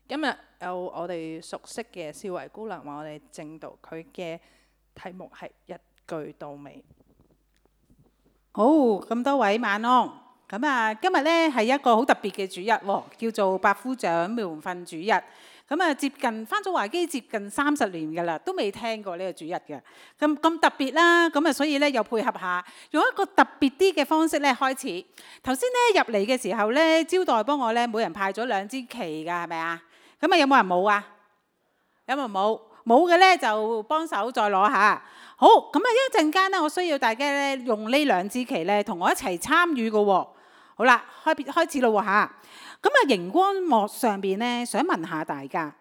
今日有我哋熟悉嘅少維姑娘為我哋證道，佢嘅題目係一句到尾。好，咁多位晚安。咁啊，今日咧係一個好特別嘅主日喎，叫做百夫長門訓主日。咁啊，接近返咗華基接近30年㗎啦，都未聽過呢個主日嘅。咁特別啦，咁啊，所以咧又配合下，用一個特別啲嘅方式咧開始。頭先咧入嚟嘅時候咧，招待幫我咧每人派咗2支旗㗎，係咪啊？咁啊，有冇人冇啊？有冇冇？冇嘅咧就幫手再攞下。好，咁啊一陣間咧，我需要大家咧用呢2支旗咧同我一齊參與嘅喎。好啦，開始咯喎嚇。咁啊，熒光幕上邊咧，想問下大家，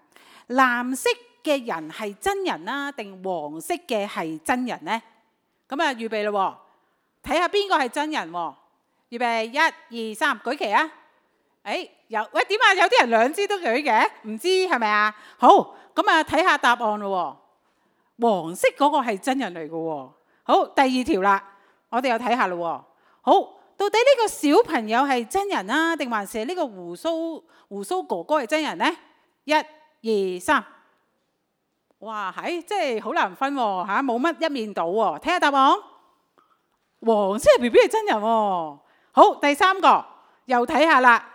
藍色嘅人係真人啦，定黃色嘅係真人呢？咁啊，預備咯喎，睇下邊個係真人喎。預備1、2、3，舉旗啊！點啊？有啲人2支都舉嘅，唔知係咪啊？好，咁啊睇下答案咯喎。黃色嗰個係真人嚟嘅喎。好，第2條啦，我哋又睇下咯喎。好。到底呢個小朋友係真人啊，定還是呢個胡鬚哥哥係真人呢？1、2、3，哇，即係好難分喎嚇，冇乜一面倒喎。睇下答案，黃色 BB 係真人喎。好，第3個又睇下啦。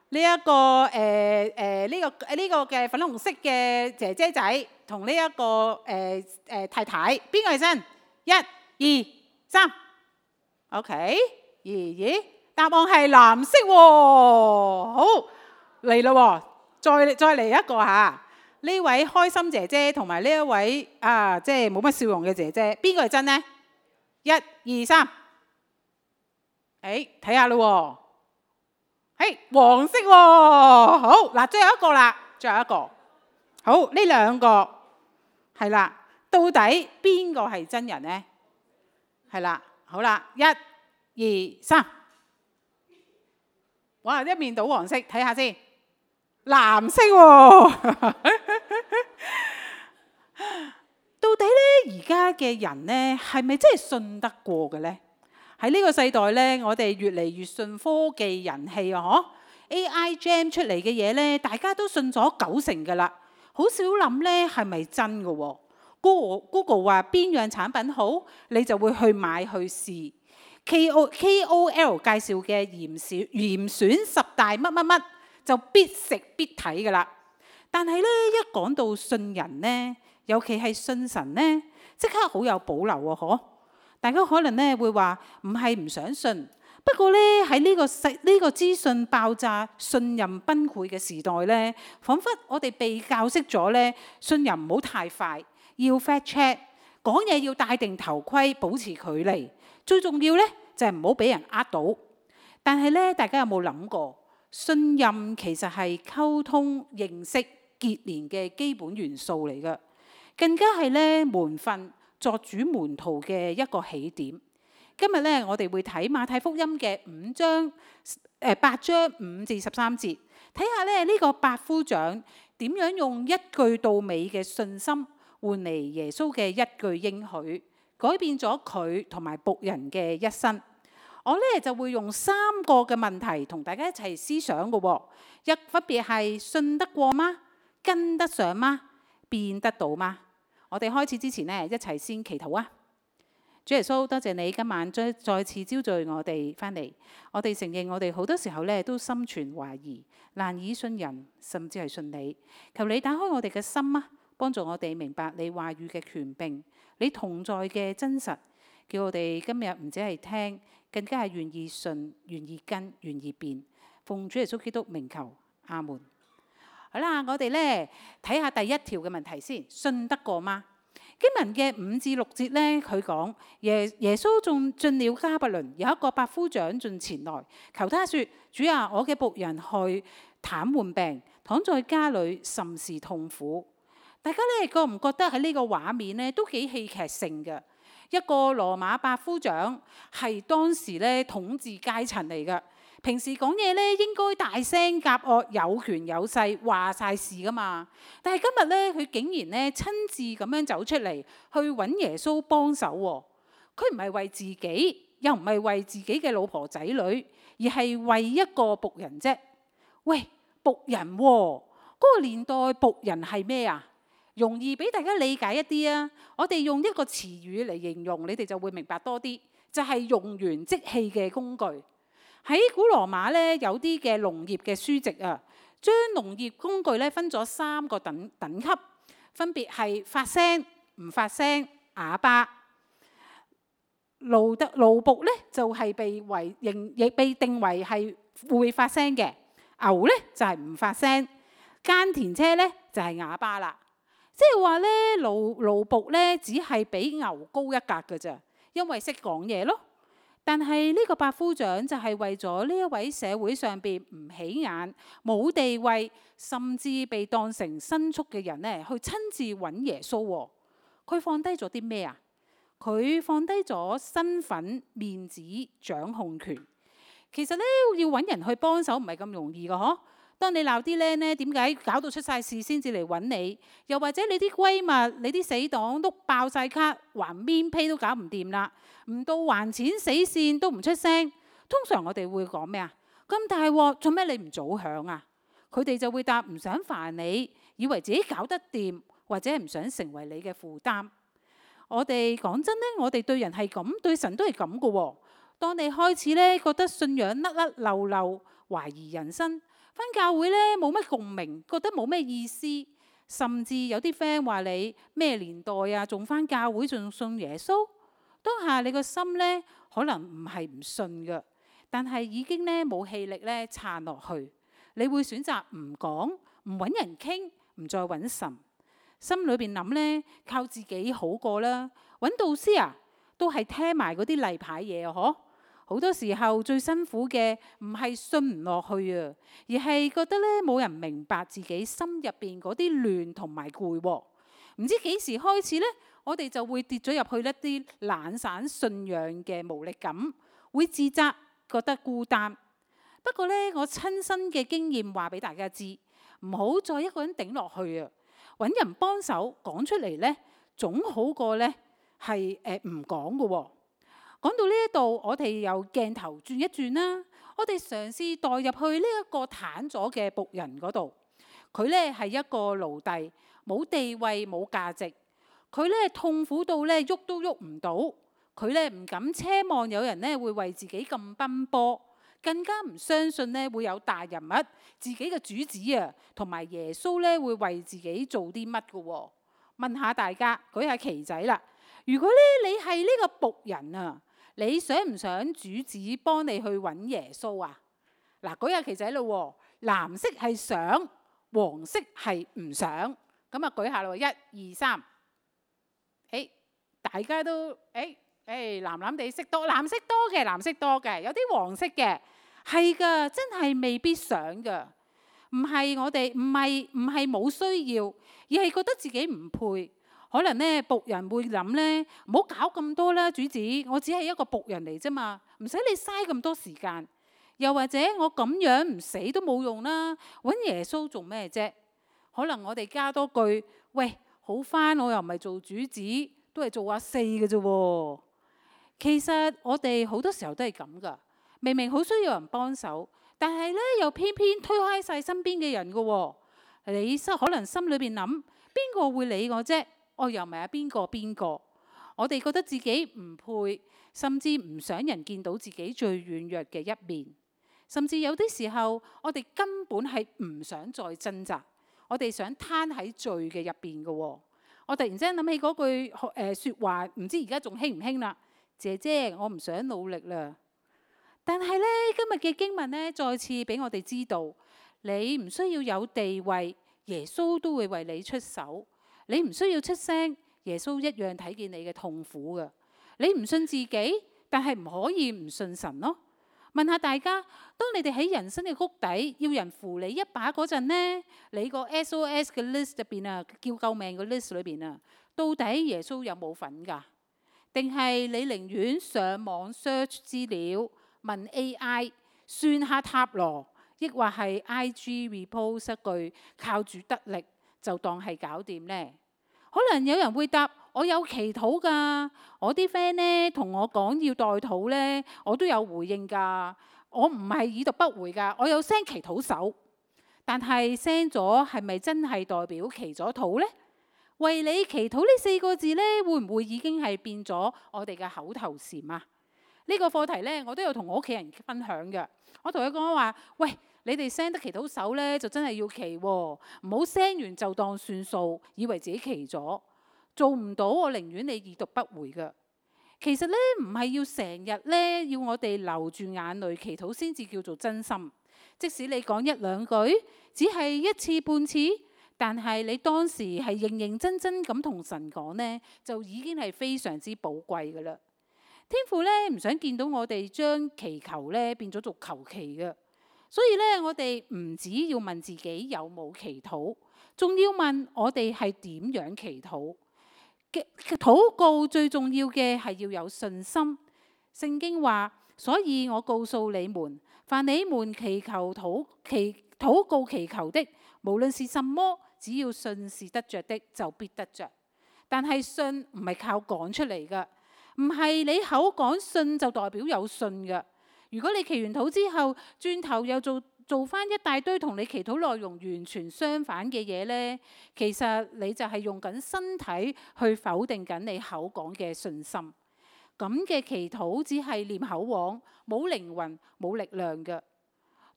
呢一個呢個嘅粉紅色嘅姐姐仔同呢一個太太，邊個係真？1、2、3，OK。咦，答案係藍色喎。好，嚟啦喎，再嚟一個嚇。呢位開心姐姐同埋呢一位即係冇乜笑容嘅姐姐，邊個係真呢？1、2、3，睇下咯喎，黃色喎。好嗱，最後一個啦，最後一個。好，呢2個係啦，到底邊個係真人呢？係啦，好啦，1、2、3，哇！一面倒黃色，睇下先，藍色喎。到底咧，而家嘅人咧，係咪真係信得過嘅咧？喺呢個世代咧，我哋越嚟越信科技人氣啊！AI Jam 出嚟嘅嘢咧，大家都信咗90%㗎啦，好少諗咧係咪真嘅喎？Google 話邊樣產品好，你就會去買去試。KOL 介紹嘅嚴選10大乜乜乜就必食必睇㗎啦。但係咧，一講到信人呢，尤其係信神呢，即刻好有保留喎，嗬！大家可能咧會話唔係唔想信，不過咧喺呢個資訊爆炸、信任崩潰嘅時代咧，彷彿我哋被教識咗咧，信任唔好太快，要 fact check， 講嘢要戴定頭盔，保持距離。最重要咧就係唔好俾人呃到。但係咧，大家有冇諗過，信任其實係溝通、認識、結連嘅基本元素嚟嘅，更加係咧門訓作主門徒嘅一個起點。今日咧，我哋會睇馬太福音嘅8章5至13節，睇下咧呢個百夫長點樣用一句到尾嘅信心換嚟耶穌嘅一句應許，改變咗佢同埋僕人嘅一生。我咧就會用3個嘅問題同大家一齊思想嘅喎。分別係信得過嗎？跟得上嗎？變得到嗎？我哋開始之前呢，一齊先祈禱啊！主耶穌，多謝你今晚再次招聚我哋翻嚟。我哋承認我哋好多時候咧都心存懷疑，難以信人，甚至係信你。求你打開我哋嘅心啊，幫助我哋明白你話語嘅權柄，你同在嘅真實，叫我哋今日唔止係聽，更加係願意信、願意跟、願意變。奉主耶穌基督名求，阿門。好啦，我哋咧睇下第1條嘅問題先，信得過嗎？經文嘅5至6節咧，佢講耶穌仲進了迦百農，有一個百夫長進前來求他說：主啊，我嘅僕人害癱瘓病，躺在家裏甚是痛苦。大家咧覺唔覺得喺呢個畫面咧都幾戲劇性嘅？一個羅馬百夫長係當時咧統治階層嚟嘅，平時講嘢咧應該大聲夾惡、有權有勢、話晒事噶嘛。但係今日咧，佢竟然咧親自咁樣走出嚟去揾耶穌幫手喎。佢唔係為自己，又唔係為自己嘅老婆仔女，而係為一個僕人啫。喂，僕人喎，嗰個年代僕人係咩啊？容易俾大家理解一啲啊！我哋用一個詞語嚟形容，你哋就會明白多啲，就係用完即棄嘅工具。喺古羅馬咧，有啲嘅農業嘅書籍啊，將農業工具咧分咗3個等級，分別係發聲、唔發聲、啞巴。奴僕咧就係被定為係會發聲嘅，牛咧就係唔發聲，耕田車咧就係啞巴啦。即係話咧，奴僕咧只係比牛高一格嘅咋，因為識講嘢咯。但係呢個百夫長就係為咗呢一位社會上邊唔起眼、冇地位，甚至被當成牲畜嘅人咧，去親自揾耶穌。佢放低咗啲咩啊？佢放低咗身份、面子、掌控權。其實咧，要揾人去幫手唔係咁容易嘅嗬。當你鬧啲僆呢，點解搞到出晒事先至嚟揾你？又或者你啲閨蜜、你啲死黨都爆晒卡，還面批都搞唔掂啦，唔到還錢死線都唔出聲。通常我哋會講咩啊？咁大鑊，做咩你唔早響啊？佢哋就會答唔想煩你，以為自己搞得掂，或者唔想成為你嘅負擔。我哋講真呢，我哋對人係咁，對神都係咁嘅喎。當你開始呢，覺得信仰甩甩漏漏，懷疑人生，返教會呢冇乜共鳴，覺得冇咩意思，甚至有啲 friend 話你咩年代啊，仲返教會仲信耶穌？當下你個心呢，可能唔係唔信嘅，但係已經呢冇氣力呢撐落去。你會選擇唔講，唔揾人傾，唔再揾神。心裏邊諗呢，靠自己好過啦。揾導師啊，都係聽埋嗰啲例牌嘢啊，嗬。好多時候最辛苦嘅唔係信唔落去啊，而係覺得咧冇人明白自己心入邊嗰啲亂同埋攰。唔知幾時開始呢，我哋就會跌咗入去一啲懶散信仰嘅無力感，會自責，覺得孤單。不過呢，我親身嘅經驗話俾大家知，唔好再一個人頂落去啊！揾人幫手講出嚟呢，總好過呢係唔講嘅喎。講到呢一度，我哋由鏡頭轉一轉啦。我哋嘗試代入去呢一個癱咗嘅僕人嗰度。佢呢係一個奴隸，冇地位冇價值。佢呢痛苦到呢喐都喐唔到。佢呢唔敢奢望有人呢會為自己咁奔波，更加唔相信呢會有大人物自己嘅主子啊，同埋耶穌呢會為自己做啲乜嘅喎？問下大家，舉下旗仔啦。如果呢你係呢個僕人啊，你想唔想主子幫你去揾耶穌啊？嗱，舉下旗仔咯喎，藍色係想，黃色係唔想。咁啊，舉下咯，1、2、3。大家都藍藍地色多，藍色多嘅，有啲黃色嘅，係噶，真係未必想噶。唔係我哋，唔係冇需要，而係覺得自己唔配。可能呢僕人會諗呢，唔好搞咁多啦，主子，我只係一個僕人嚟啫嘛，唔使你嘥咁多時間。又或者我咁樣唔死都冇用啦，揾耶穌做咩啫？可能我哋加多句，喂，好返，我又唔係做主子，都係做阿4嘅啫喎。其實我哋好多時候都係咁噶，明明好需要人幫手，但係呢又偏偏推開晒身邊嘅人噶喎。你可能心裏邊諗，邊個會理我啫？我又唔係邊個？我哋覺得自己唔配，甚至唔想人見到自己最軟弱嘅一面。甚至有啲時候，我哋根本係唔想再掙扎，我哋想攤喺罪嘅入邊嘅喎。我突然之間諗起嗰句説話，唔知而家仲興唔興啦？姐姐，我唔想努力啦。但係呢，今日嘅經文呢，再次俾我哋知道，你唔需要有地位，耶穌都會為你出手。你唔需要出聲，耶穌一樣睇見你嘅痛苦㗎。你唔信自己，但係唔可以唔信神咯。問下大家，當你哋喺人生嘅谷底，要人扶你一把嗰陣呢，你個 SOS 嘅 list 入邊啊，叫救命嘅 list 裏邊啊，到底耶穌有冇份㗎？定係你寧願上網 search 資料，問 AI 算下塔羅，抑或係 IG repost 一句靠主得力就當係搞掂呢？可能有人會答，我有祈禱㗎，我啲 friend 呢同我講要代禱呢，我都有回應㗎，我唔係已讀不回㗎，我有 send 祈禱手。但係 send 咗係咪真係代表祈咗禱呢？為你祈禱呢4個字呢，會唔會已經係變咗我哋嘅口頭禪啊？呢個課題呢，我都有同我屋企人分享嘅。我同佢講話，喂，你哋 send 得祈禱手呢，就真係要祈喎，唔好 send 完就當算數，以為自己祈咗，做唔到我寧願你已讀不回嘅。其實呢，唔係要成日呢，要我哋流住眼淚祈禱先至叫做真心。即使你講1、2句，只係一次半次，但係你當時係認認真真咁同神講呢，就已經係非常之寶貴噶啦。天父呢，唔想見到我哋將祈求呢變咗做求其嘅，所以呢，我哋唔只要問自己有冇祈禱，仲要問我哋係點樣祈禱。禱告最重要嘅係要有信心。聖經話，所以我告訴你們，凡你們禱告祈求的，無論是什麼，只要信是得着的，就必得着。但係信唔係靠講出嚟㗎，唔係你口講信就代表有信㗎。如果你祈完禱之後，轉頭又做翻一大堆同你祈禱內容完全相反嘅嘢呢，其實你就係用緊身體去否定緊你口講嘅信心。咁嘅祈禱只係念口簧，冇靈魂，冇力量嘅。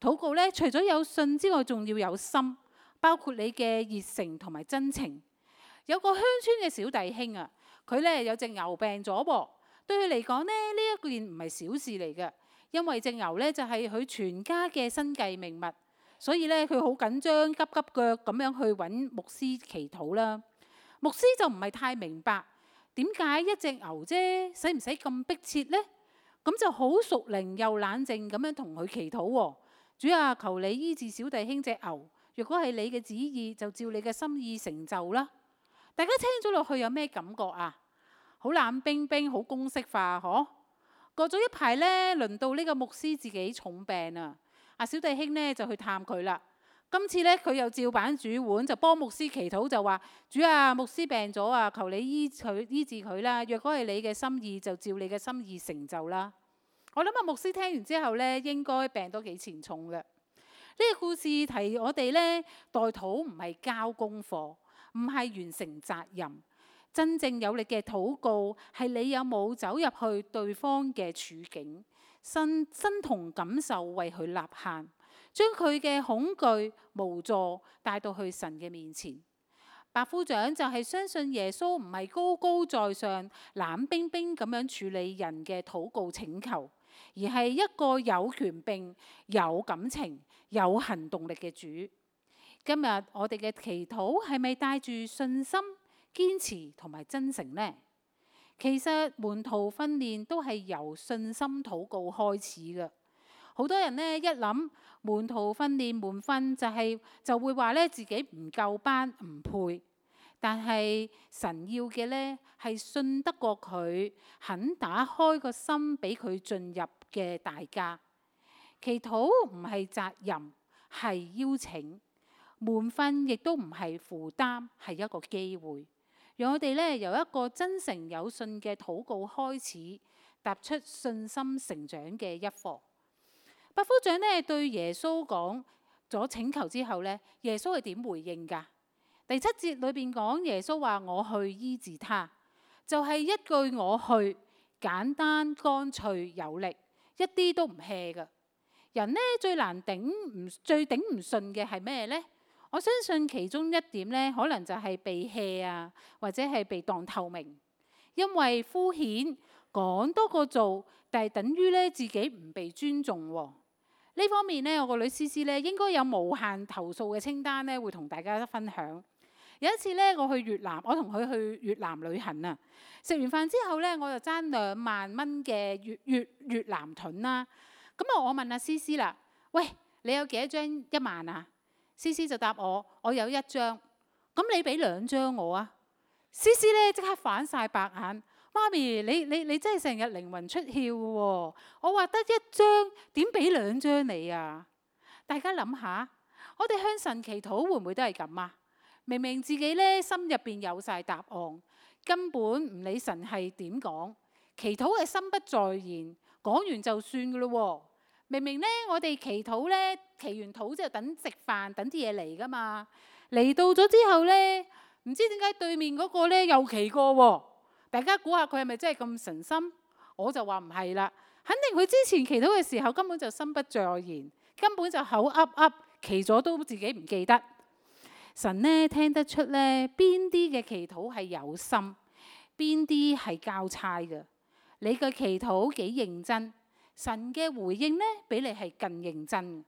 禱告呢，除咗有信之外，仲要有心，包括你嘅熱誠同埋真情。有個鄉村嘅小弟兄啊，佢呢有隻牛病咗噃，對佢嚟講呢，呢一件唔係小事嚟嘅。因為隻牛呢，就係佢全家嘅生計命脈，所以呢，佢好緊張，急急腳咁樣去揾牧師祈禱啦。牧師就唔係太明白點解一隻牛啫，使唔使咁迫切呢？咁就好屬靈又冷靜咁樣同佢祈禱喎。主啊，求你醫治小弟兄隻牛，若果係你嘅旨意，就照你嘅心意成就啦。大家聽咗落去有咩感覺啊？好冷冰冰，好公式化，嗬？過咗一排呢，輪到呢個牧師自己重病啊！小弟兄呢就去探佢啦。今次呢，佢又照板煮碗，就幫牧師祈禱，就話：主啊，牧師病咗啊，求你醫治佢啦。若果係你嘅心意，就照你嘅心意成就啦。我諗牧師聽完之後呢，應該病都幾沉重嘅。呢個故事提我哋呢，代禱唔係交功課，唔係完成責任。真正有力嘅禱告係你有冇走入去對方嘅處境，身同感受為佢吶喊，將佢嘅恐懼無助帶到去神嘅面前。百夫長就係相信耶穌唔係高高在上冷冰冰咁樣處理人嘅禱告請求，而係一個有權柄、有感情、有行動力嘅主。今日我哋嘅祈禱係咪帶住信心、堅持同埋真誠呢？其實門徒訓練都係由信心禱告開始嘅。好多人呢，一諗門徒訓練門訓就會話呢自己唔夠班唔配，但係神要嘅呢係信得過佢，肯打開個心俾佢進入嘅大家。祈禱唔係責任，係邀請；門訓亦都唔係負擔，係一個機會。讓我哋呢由一個真誠有信嘅禱告開始，踏出信心成長嘅一課。百夫長呢對耶穌講咗請求之後呢，耶穌係點回應㗎？第7節裏邊講耶穌話：我去醫治他，就係一句我去，簡單乾脆有力，一啲都唔 hea 㗎。人呢最頂唔順嘅係咩呢？我相信其中一點呢，可能就係被 hea 啊，或者係被當透明，因為敷衍講多過做，但係等於呢自己唔被尊重喎。呢方面呢，我個女思思呢應該有無限投訴嘅清單呢，會同大家分享。有一次呢，我去越南，我同佢去越南旅行啊。食完飯之後呢，我就爭2萬蚊嘅越南盾啦。咁我問阿思思啦：喂，你有幾多張1萬啊？思思就答我：我有1張。咁你俾2張我啊？思思呢即刻反晒白眼。媽咪，你真係成日靈魂出竅嘅喎！我話得1張，點俾2張你啊？大家諗下，我哋向神祈禱會唔會都係咁啊？明明自己呢心入邊有晒答案，根本唔理神係點講，祈禱係心不在焉，講完就算嘅咯喎。明明咧，我哋祈禱咧，祈完禱之後等食飯，等啲嘢嚟噶嘛。嚟到咗之後咧，唔知點解對面嗰個咧又祈過喎。大家估下佢係咪真係咁神心？我就話唔係啦，肯定佢之前祈禱嘅時候根本就心不在焉，根本就口噏噏，祈咗都自己唔記得。神呢聽得出咧，邊啲嘅祈禱係有心，邊啲係交差嘅。你嘅祈禱幾認真，神嘅回應呢比你係更認真。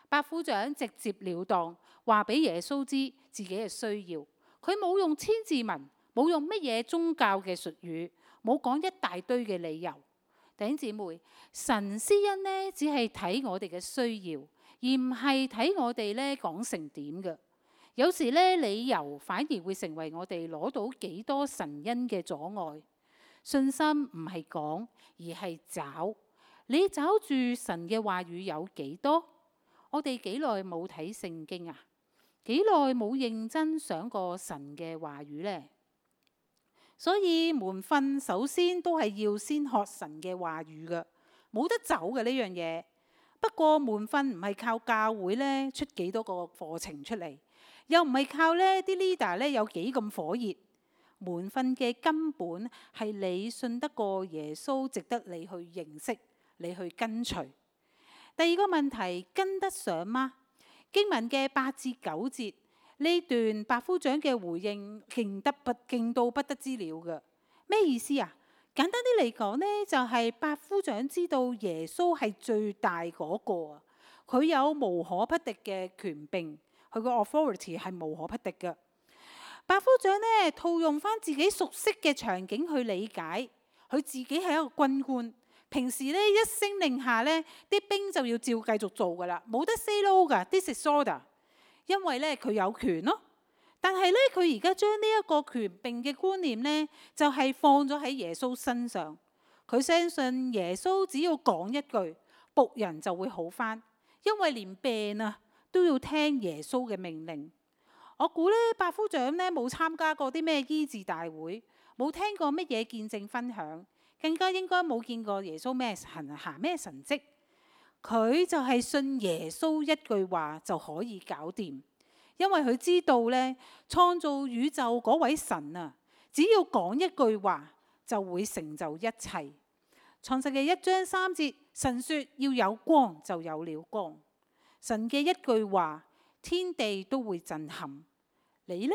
百夫長直接了當，話俾耶穌知自己嘅需要。佢冇用千字文，冇用乜嘢宗教嘅術語，冇講一大堆嘅理由。弟兄姊妹，神施恩呢只係睇我哋嘅需要，而唔係睇我哋咧講成點嘅。有時咧理由反而會成為我哋攞到幾多神恩嘅阻礙。信心唔係講，而係找。你找住神嘅話語有幾多？我哋幾耐冇睇聖經啊？幾耐冇認真想過神嘅話語呢？所以門訓首先都係要先學神嘅話語嘅，冇得走嘅呢樣嘢。不過門訓唔係靠教會咧出幾多個課程出嚟，又唔係靠咧啲 leader 咧有幾咁火熱。門訓嘅根本係你信得過耶穌，值得你去認識，你去跟隨。第二個問題，跟得上嗎？經文嘅8至9節呢段百夫長嘅回應勁到不得之了嘅。咩意思啊？簡單啲嚟講呢，就係百夫長知道耶穌係最大嗰個啊，佢有無可匹敵嘅權柄，佢個 authority 係無可匹敵嘅。百夫長呢套用翻自己熟悉嘅場景去理解，佢自己係一個軍官，平時呢一聲令下呢啲兵就要照繼續做噶啦，冇得 say no 噶，this is order，因為呢佢有權咯。但係呢佢而家將呢一個權柄嘅觀念呢，就係放咗喺耶穌身上，佢相信耶穌只要講一句，僕人就會好翻，因為連病啊都要聽耶穌嘅命令。我估呢，百夫長呢冇參加過啲咩醫治大會，冇聽過乜嘢見證分享，更加應該冇見過耶穌咩行咩神蹟。佢就係信耶穌一句話就可以搞掂，因為佢知道呢，創造宇宙嗰位神啊，只要講一句話就會成就一切。創世記1章3節，神說要有光，就有了光。神嘅一句話，天地都會震撼。你呢？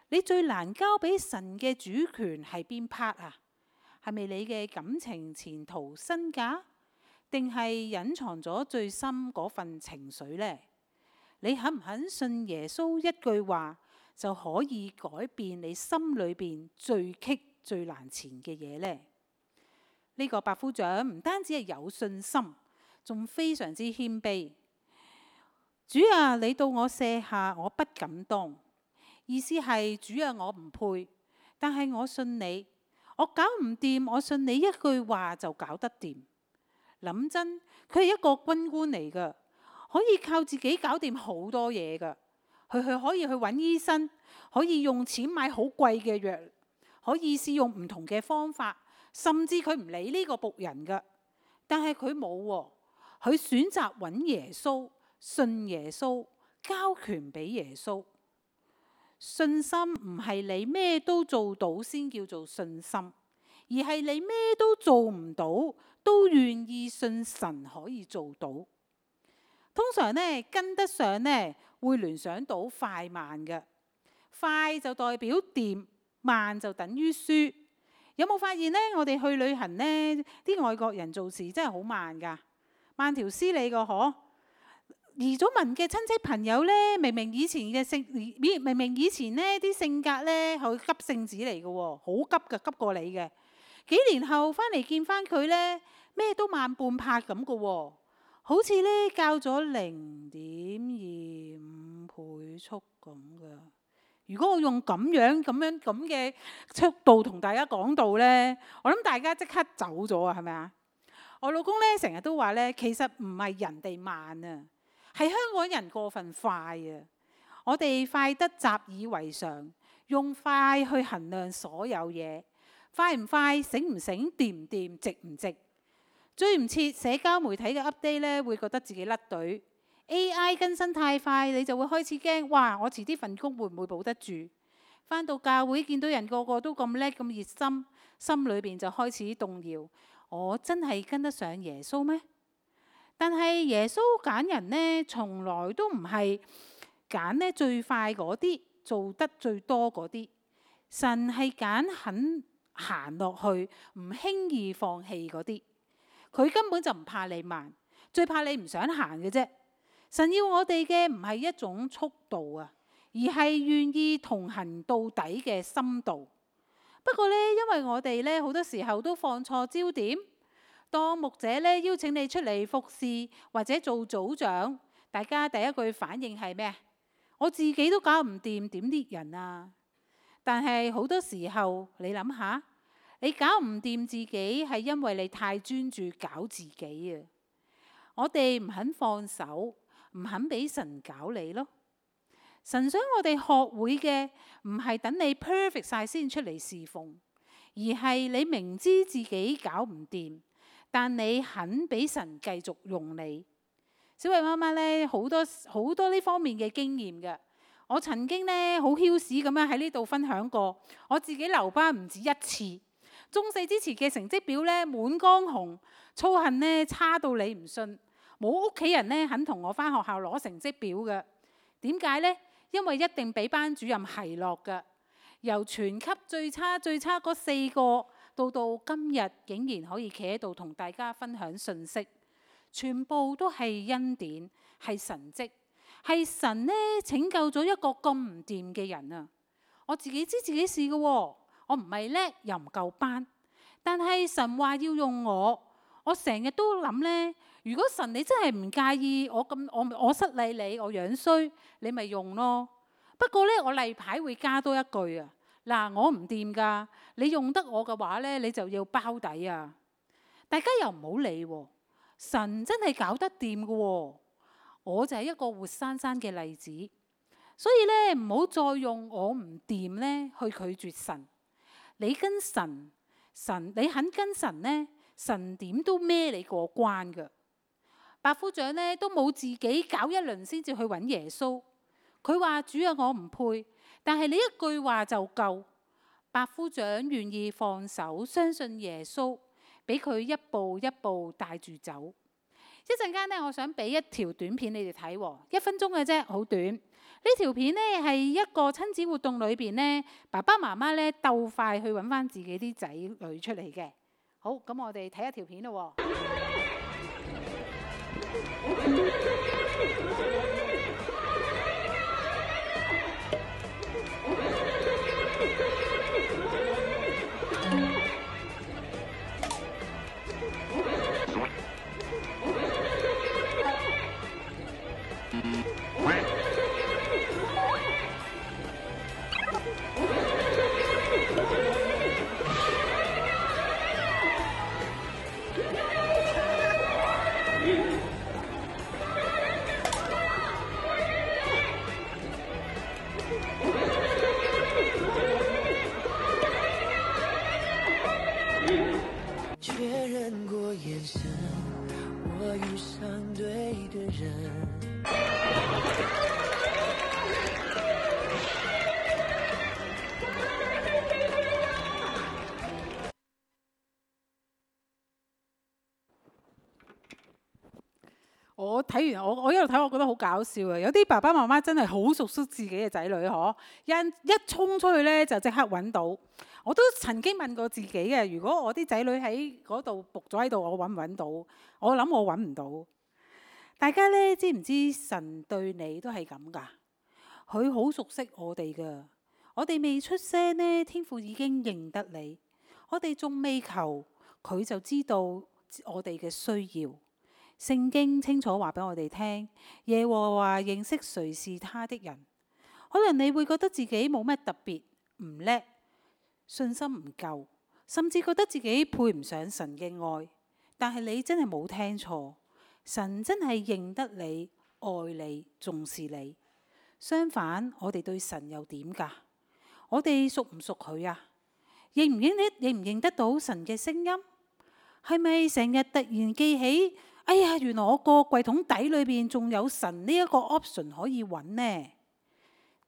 你最難交俾神嘅主權係邊 part 啊？係咪你嘅感情、前途、身價，定係隱藏咗最深嗰份情緒呢？你肯唔肯信耶穌一句話就可以改變你心裏邊最棘最難纏嘅嘢呢？呢個百夫長唔單止係有信心，仲非常之謙卑。主啊，你到我舍下，我不敢當。意思係主啊，我唔配，但係我信你，我搞唔掂，我信你一句話就搞得掂。諗真，佢係一個軍官嚟噶，可以靠自己搞掂好多嘢噶。佢可以去揾醫生，可以用錢買好貴嘅藥，可以試用唔同嘅方法，甚至佢唔理呢個僕人噶。但係佢冇喎，佢選擇揾耶穌，信耶穌，交權俾耶穌。信心唔係你咩都做到先叫做信心，而係你咩都做唔到都願意信神可以做到。通常呢，跟得上呢會聯想到快慢嘅，快就代表掂，慢就等於輸。有冇發現呢？我哋去旅行呢，啲外國人做事真係好慢噶，慢條斯理個可。移咗民嘅親戚朋友呢，明明以前呢啲性格呢係急性子嚟嘅喎，好急嘅，急過你嘅。幾年後翻嚟見翻佢呢，咩都慢半拍咁嘅喎，好似呢較咗0.25倍速咁嘅。如果我用咁嘅速度同大家講到呢，我諗大家即刻走咗啊，係咪啊？我老公呢成日都話呢，其實唔係人哋慢啊，係香港人過分快啊！我哋快得習以為常，用快去衡量所有嘢，快唔快、醒唔醒、掂唔掂、值唔值。追唔切社交媒體嘅 update 咧，會覺得自己甩隊。AI 更新太快，你就會開始驚，哇！我遲啲份工會唔會保得住？返到教會見到人個個都咁叻咁熱心，心裏邊就開始動搖。我真係跟得上耶穌咩？但係耶穌揀人呢，從來都唔係揀呢最快嗰啲，做得最多嗰啲。神係揀肯行落去，唔輕易放棄嗰啲。佢根本就唔怕你慢，最怕你唔想行嘅啫。神要我哋嘅唔係一種速度啊，而係願意同行到底嘅深度。不過呢，因為我哋呢好多時候都放錯焦點，當牧者呢邀請你出嚟服侍或者做組長，大家第一句反應係咩？我自己都搞唔掂，點列人啊？但係好多時候，你諗下，你搞唔掂自己係因為你太專注搞自己啊！我哋唔肯放手，唔肯俾神搞你咯。神想我哋學會嘅唔係等你 perfect 晒先出嚟侍奉，而係你明知自己搞唔掂，但你肯俾神繼續用你。小慧媽媽呢，好多呢方面嘅經驗嘅。我曾經呢好囂屎咁樣喺呢度分享過，我自己留班唔止一次。中四之前嘅成績表呢滿江紅，操行呢差到你唔信，冇屋企人呢肯同我返學校攞成績表嘅。點解呢？因為一定俾班主任奚落嘅。由全級最差嗰4個，到今日竟然可以企喺度同大家分享信息，全部都係恩典，係神蹟。係神呢拯救咗一個咁唔掂嘅人啊！我自己知自己事嘅喎，我唔係叻又唔夠班，但係神話要用我成日都諗呢：如果神你真係唔介意我失禮你，我樣衰，你咪用咯。不過呢，我例牌會加多一句啊，嗱，我唔掂㗎，你用得我嘅話呢，你就要包底啊！大家又唔好理喎，神真係搞得掂嘅喎。我就係一個活生生嘅例子，所以咧唔好再用我唔掂咧去拒絕神。你跟神，你肯跟神呢，神點都孭你過關㗎。百夫長呢都冇自己搞一輪先至去揾耶穌。佢話：主啊，我唔配，但係你一句話就夠。百夫長願意放手，相信耶穌，俾佢一步一步帶住走。一陣間呢，我想俾一條短片你哋睇，1分鐘嘅啫，好短。呢條片呢係一個親子活動裏邊呢，爸爸媽媽呢鬥快去揾翻自己啲仔女出嚟嘅。好，咁我哋睇一條片咯。确认过眼神，我遇上对的人。我睇完我一路睇，我覺得好搞笑啊！有啲爸爸媽媽真係好熟悉自己嘅仔女，嗬，一衝出去呢，就即刻揾到。我都曾經問過自己嘅，如果我啲仔女喺嗰度伏咗喺度，我揾唔揾到？我諗我揾唔到。大家呢，知唔知神對你都係咁㗎？佢好熟悉我哋㗎。我哋未出聲呢，天父已經認得你。我哋仲未求，佢就知道我哋嘅需要。聖經清楚話俾我哋聽，耶和華認識誰是他的人。可能你會覺得自己冇乜特別，唔叻，信心唔夠，甚至覺得自己配唔上神嘅愛。但係你真係冇聽錯，神真係認得你、愛你、重視你。相反，我哋對神又點㗎？我哋熟唔熟佢啊？認唔認得到神嘅聲音？係咪成日突然記起，哎呀，原來我個櫃桶底裏邊仲有神呢一個 option 可以揾呢？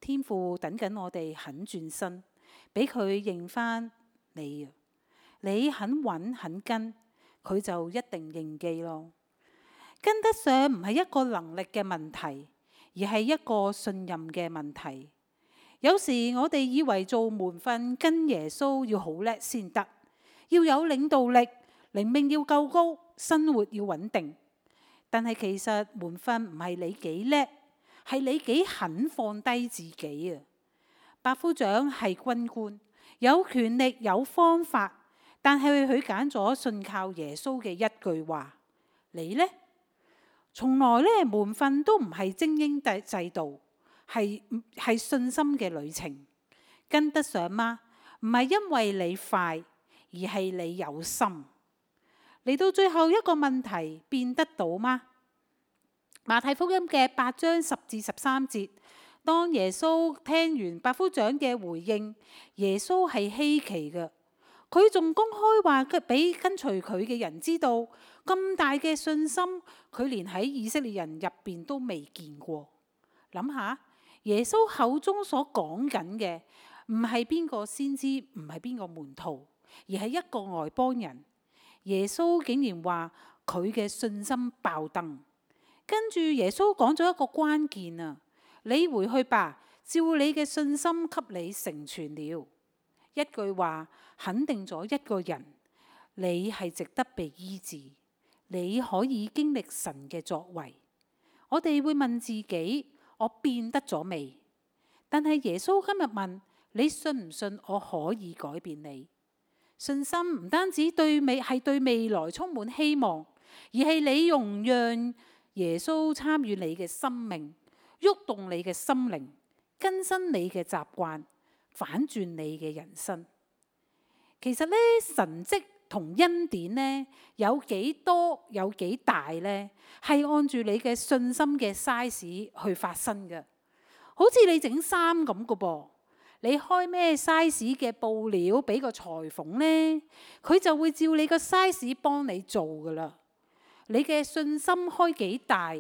天父等緊我哋肯轉身，俾佢認翻你啊！你肯揾肯跟，佢就一定認記咯。跟得上唔係一個能力嘅問題，而係一個信任嘅問題。有時我哋以為做門訓跟耶穌要好叻先得，要有領導力，靈命要夠高，生活要穩定。但係其實門訓唔係你幾叻，係你幾肯放低自己啊！百夫長係軍官，有權力有方法，但係佢揀咗信靠耶穌嘅一句話。你呢？從來呢，門訓都唔係精英制度，係信心嘅旅程。跟得上嗎？唔係因為你快，而係你有心。嚟到最後一個問題，變得到嗎？馬太福音嘅8章10至13節，當耶穌聽完百夫長嘅回應，耶穌係稀奇嘅。佢仲公開話俾跟隨佢嘅人知道，咁大嘅信心，佢連喺以色列人入邊都未見過。諗下，耶穌口中所講緊嘅，唔係邊個先知，唔係邊個門徒，而係一個外邦人。耶穌竟然話佢嘅信心爆燈。跟住耶穌講咗一個關鍵啊，你回去吧，照你嘅信心給你成全了。一句話肯定咗一個人，你係值得被醫治，你可以經歷神嘅作為。我哋會問自己，我變得咗未？但係耶穌今日問你，信唔信我可以改變你？信心唔單止對未來充滿希望，而係你容讓耶穌參與你嘅生命，喐動你嘅心靈，更新你嘅習慣，反轉你嘅人生。其實呢，神蹟同恩典呢，有幾多有幾大呢？係按住你嘅信心嘅 size 去發生嘅。好似你整衫咁嘅噃，你開咩 size 嘅布料俾個裁縫呢，佢就會照你個 size 幫你做噶啦。你嘅信心開幾大，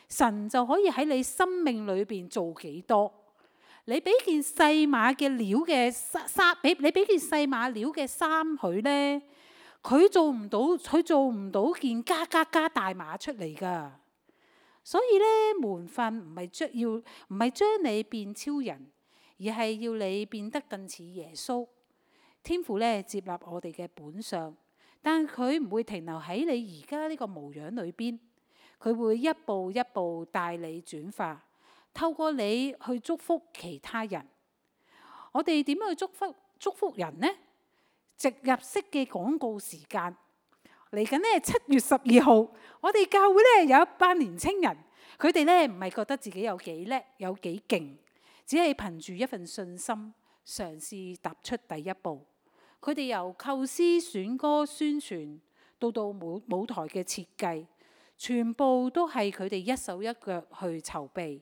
神就可以喺你生命裏邊做幾多。你俾件細碼嘅料嘅衫，你俾件細碼料嘅衫佢呢，佢做唔到件加大碼出嚟噶。所以呢，門訓唔係將你變超人，而係要你變得更似耶穌。天父呢，接納我哋嘅本相，但佢唔會停留喺你而家呢個模樣裏邊，佢會一步一步帶你轉化，透過你去祝福其他人。我哋點樣去祝福人呢？植入式嘅廣告時間嚟緊呢，7月12號，我哋教會呢有一班年青人，佢哋呢唔係覺得自己有幾叻有幾勁，只係憑住一份信心嘗試踏出第一步。佢哋由構思、選歌、宣傳到舞台嘅設計，全部都係佢哋一手一腳去籌備，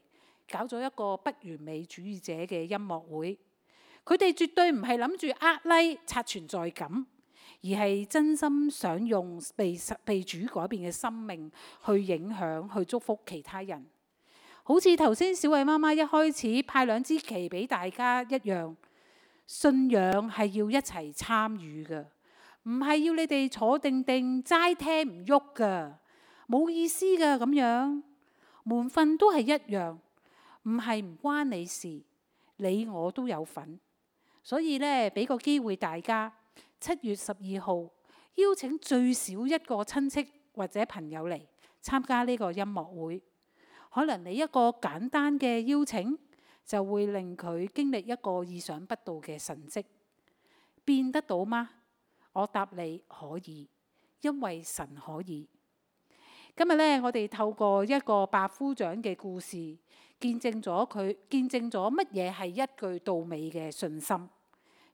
搞咗一個不完美主義者嘅音樂會。佢哋絕對唔係諗住like刷存在感，而係真心想用被主改變嘅生命去影響、去祝福其他人。好似頭先小慧媽媽一開始派2支旗俾大家一樣。信仰係要一齊參與嘅，唔係要你哋坐定定齋聽唔喐噶，冇意思噶咁樣。門訓都係一樣，唔係唔關你事，你我都有份。所以呢，俾個機會大家，7月12號邀請最少一個親戚或者朋友嚟參加呢個音樂會。可能你一個簡單嘅邀請，就會令佢經歷一個意想不到嘅神蹟。變得到嗎？我答你可以，因為神可以。今日呢，我哋透過一個百夫長嘅故事，見證咗乜嘢係一句到尾嘅信心。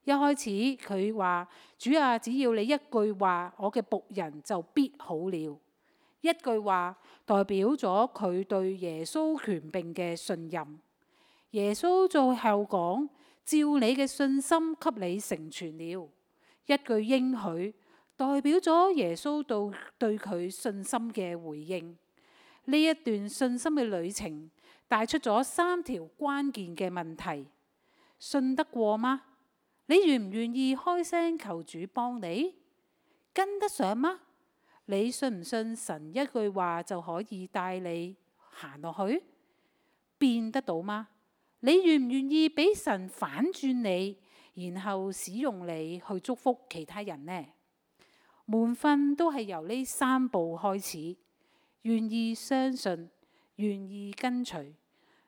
一開始佢話：主啊，只要你一句話，我嘅僕人就必好了。一句話代表咗佢對耶穌權柄嘅信任。耶穌最後講：照你嘅信心給你成全了。一句應許代表咗耶穌對佢信心嘅回應。呢一段信心嘅旅程帶出咗3條關鍵嘅問題：信得過嗎？你願唔願意開聲求主幫你？跟得上嗎？你信唔信神一句話就可以帶你行落去？變得到嗎？你願唔願意俾神反轉你，然後使用你去祝福其他人呢？門訓都係由呢3步開始：願意相信，願意跟隨，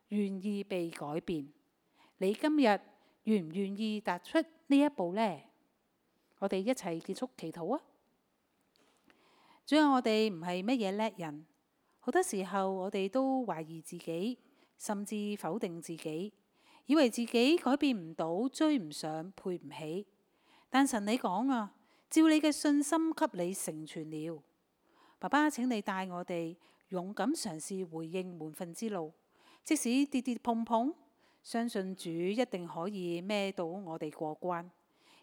願意被改變。你今日願唔願意踏出呢一步呢？我哋一齊結束祈禱啊！主啊，我哋唔係乜嘢叻人，好多時候我哋都懷疑自己，甚至否定自己，以為自己改變唔到，追唔上，配唔起。但神你講啊，照你嘅信心給你成全了。爸爸，請你帶我哋勇敢嘗試回應門訓之路，即使跌跌碰碰，相信主一定可以孭到我哋過關。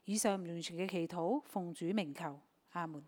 以上完全嘅祈禱，奉主名求，阿門。